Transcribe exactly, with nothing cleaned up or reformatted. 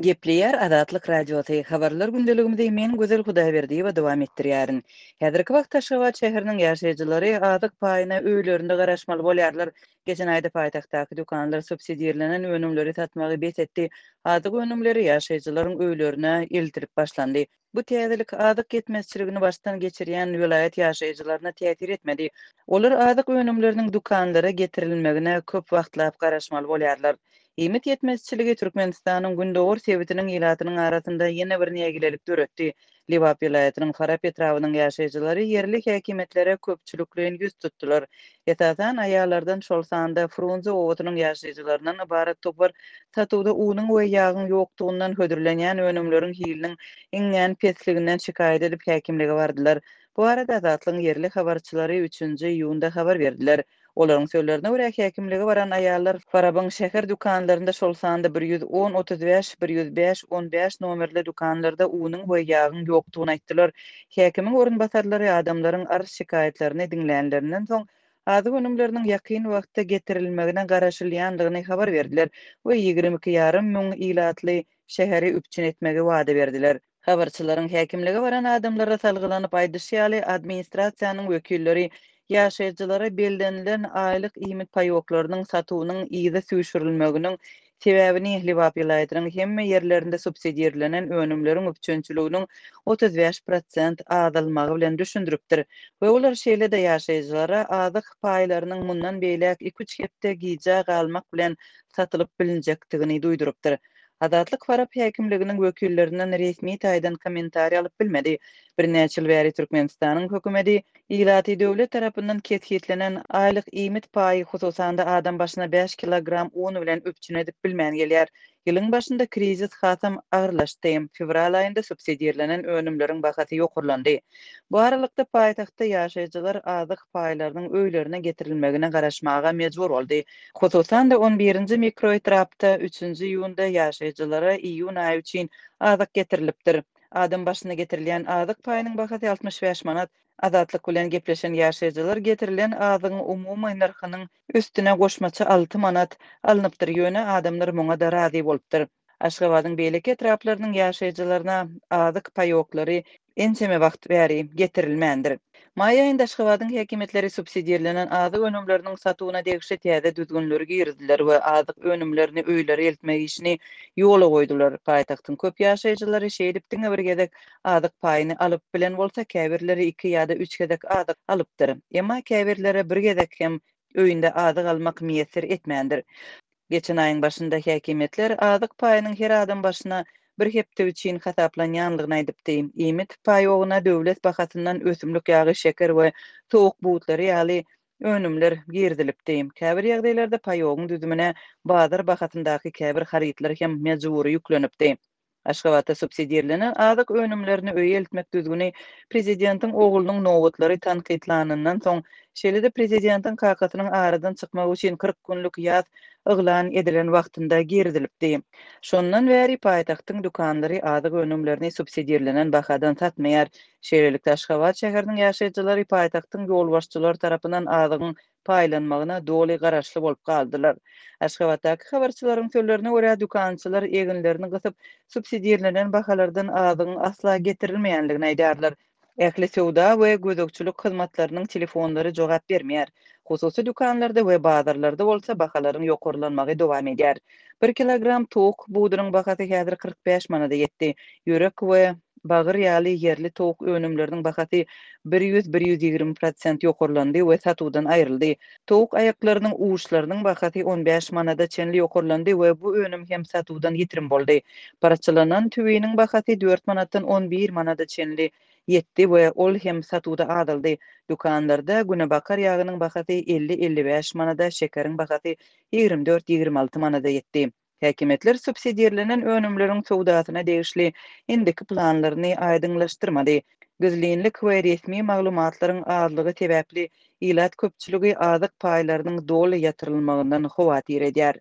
Gepleýär Azatlyk Radiosy, Habarlar gündeligimizi men Gözel Hudaýberdiýewa dowam etdirýärin. Häzirki wagtda Aşgabat şäheriniň ýaşaýjylary azyk paýyna öýlerinde garaşmaly bolýarlar. Geçen aýda paýtagtdaky dükanlar subsidirlenen önümleri satmagy bes etdi. Azyk önümleri ýaşaýjylaryň öýlerine eltilip başlandy. Bu täzelik azyk ýetmezçiligini başdan geçirýän welaýat ýaşaýjylaryna täsir etmedi. Olar azyk önümleriniň dükanlara getirilmegine köp wagtlap garaşmaly bolýarlar. Iýmit ýetmezçiligi Türkmenistanyň gündogar sebitiniň ilatynyň arasynda ýene bir nägilelik döretdi. Lebap welaýatynyň Farap etrabynyň ýaşaýjylary ýerli häkimiýetlere köpçülikleýin ýüz tutdular. Esasan, aýallardan, şol sanda Frunze obasynyň ýaşaýjylaryndan ybarat topar satuwda unuň we ýagyň ýokdugyndan, hödürlenýän önümleriň hiliniň iňňän pesliginden şikaýat edip, häkimlige bardylar. Bu barada Azatlygyň ýerli habarçylary üçünji iýunda habar berdiler. Olaryň sözlerine görä, häkimlige baran aýallar Farabyň şäher dükanlarynda, şol sanda bir ýüz on, otuz bäş, bir ýüz bäş, on bäş nomerli dükanlarda unuň we ýagyň ýokdugyny aýtdylar. Häkimiň orunbasarlary adamlaryň arz-şikaýatlaryny diňlänlerinden soň, azyk önümleriniň ýakyn wagtda getirilmegine garaşylýandygyny habar berdiler we ýigrimi iki ýarym müň ilatly şäheri üpjün etmegi wada berdiler. Habarçylaryň häkimlige baran adamlara salgylanyp aýdyşy ýaly, administrasiýanyň wekilleri ýaşaýjylara bellenilen aýlyk iýmit paýoklarynyň satuwynyň yza süýşürilmeginiň sebäbini Lebap welaýatynyň hemme ýerlerinde subsidirlenen önümleriň üpjünçiliginiň otuz bäş prosent azalmagy bilen düşündiripdir we olar şeýle-de ýaşaýjylara azyk paýlarynyň mundan beýläk iki-üç hepde gijä galmak bilen satylyp bilinjekdigini duýdurypdyr. Azatlyk Farap häkimliginiň wekillerinden resmi taýdan kommentariý alyp bilmedi. Birnäçe ýyl bäri Türkmenistanyň hökümeti ilaty döwlet tarapyndan kesgitlenen aýlyk iýmit paýy, hususan-da adam başyna bäş kilogram un bilen üpjün edip bilmän gelýär. Ýylyň başynda krizis hasam agyrlaşdy. Fewral aýynda subsidirlenen önümleriň bahasy ýokarlandy. Bu aralykda paýtagtda ýaşaýjylar azyk paýlarynyň öýlerine getirilmegine garaşmaga mejbur boldy. Hususan-da on birinji mikroetrapda üçünji iýunda ýaşaýjylara iýun aýy üçin azyk getirilipdir. Adam başyna getirilýän azyk paýynyň bahasy altmyş bäş manat. Azatlyk bilen gepleşen ýaşaýjylar getirilen azygyň umumy nyrhynyň üstüne goşmaça alty manat alnypdyr, ýöne adamlar muňa-da razy bolupdyr. Aşgabadyň beýleki etraplarynyň ýaşaýjylaryna azyk paýoklary ençeme wagt bäri getirilmändir. Maý aýynda Aşgabadyň häkimiýetleri subsidirlenen azyk önümleriniň satuwyna degişli täze düzgünleri girizdiler we azyk önümlerini öýlere eltmek işini ýola goýdular. Paýtagtyň köp ýaşaýjylary şeýdip diňe bir gezek azyk paýyny alyp bilen bolsa, käbirleri iki ýa-da üç gezek azyk alypdyr. Emma käbirlere bir gezek hem öýünde azyk almak miýesser etmändir. Geçen aýyň başynda häkimiýetler azyk paýynyň her adam başyna bir hepde üçin hasaplanýandygyny aýdypdy. Iýmit paýogyna döwlet bahasyndan ösümlik ýagy, şeker we towuk butlary ýaly önümler girizilipdi. Käbir ýagdaýlarda paýogyň düzümine bazar bahasyndaky käbir harytlar hem mejbury ýüklenipdi. Aşgabatda subsidirlenen azyk önümlerini öýe eltmek düzgüni prezidentiň oglunyň nobatlary tankytlanyndan soň, şeýle-de prezidentiň kakasynyň aradan çykmagy üçin kyrk günlük ýas yglan edilen wagtynda girizilipdi. Şondan bäri paýtagtyň dükanlary azyk önümlerini subsidirlenen bahadan satmaýar. Şeýlelikde, Aşgabat şäheriniň ýaşaýjylary paýtagtyň ýolbaşçylary tarapyndan azygyň paýlanmagyna doly garaşly bolup galdylar. Aşgabatdaky habarçylaryň sözlerine görä, dükançylar eginlerini gysyp, subsidirlenen bahalardan azygyň asla getirilmeýändigini aýdýarlar. Ähli söwda we gözegçilik hyzmatlarynyň telefonlary jogap bermeýär. Hususy dükanlarda we bazarlarda bolsa bahalaryň ýokarlanmagy dowam edýär. Bir kilogram towuk budunyň bahasy häzir kyrk bäş manada ýetdi. Ýürek we bagyr ýaly ýerli towuk önümleriniň bahasy bir ýüz, bir ýüz ýigrimi prosent ýokarlandy we satuwdan aýryldy. Towuk aýaklarynyň uçlarynyň bahasy on bäş manada çenli ýokarlandy we bu önüm hem satuwdan ýitirim boldy. Parçalanan tüwiniň bahasy dört manatdan on bir manada çenli ýetdi we ol hem satuwda azaldy. Dükanlarda günebakar ýagynyň bahasy elli-elli bäş manada, şekeriň bahasy ýigrimi dört-ýigrimi alty manada ýetdi. Häkimiýetler subsidirlenen önümleriň söwdasyna degişli indiki planlaryny aýdyňlaşdyrmady. Gizlinlik we resmi maglumatlaryň azlygy sebäpli ilat köpçüligi azyk paýlarynyň doly ýatyrylmagyndan howatyr edýär.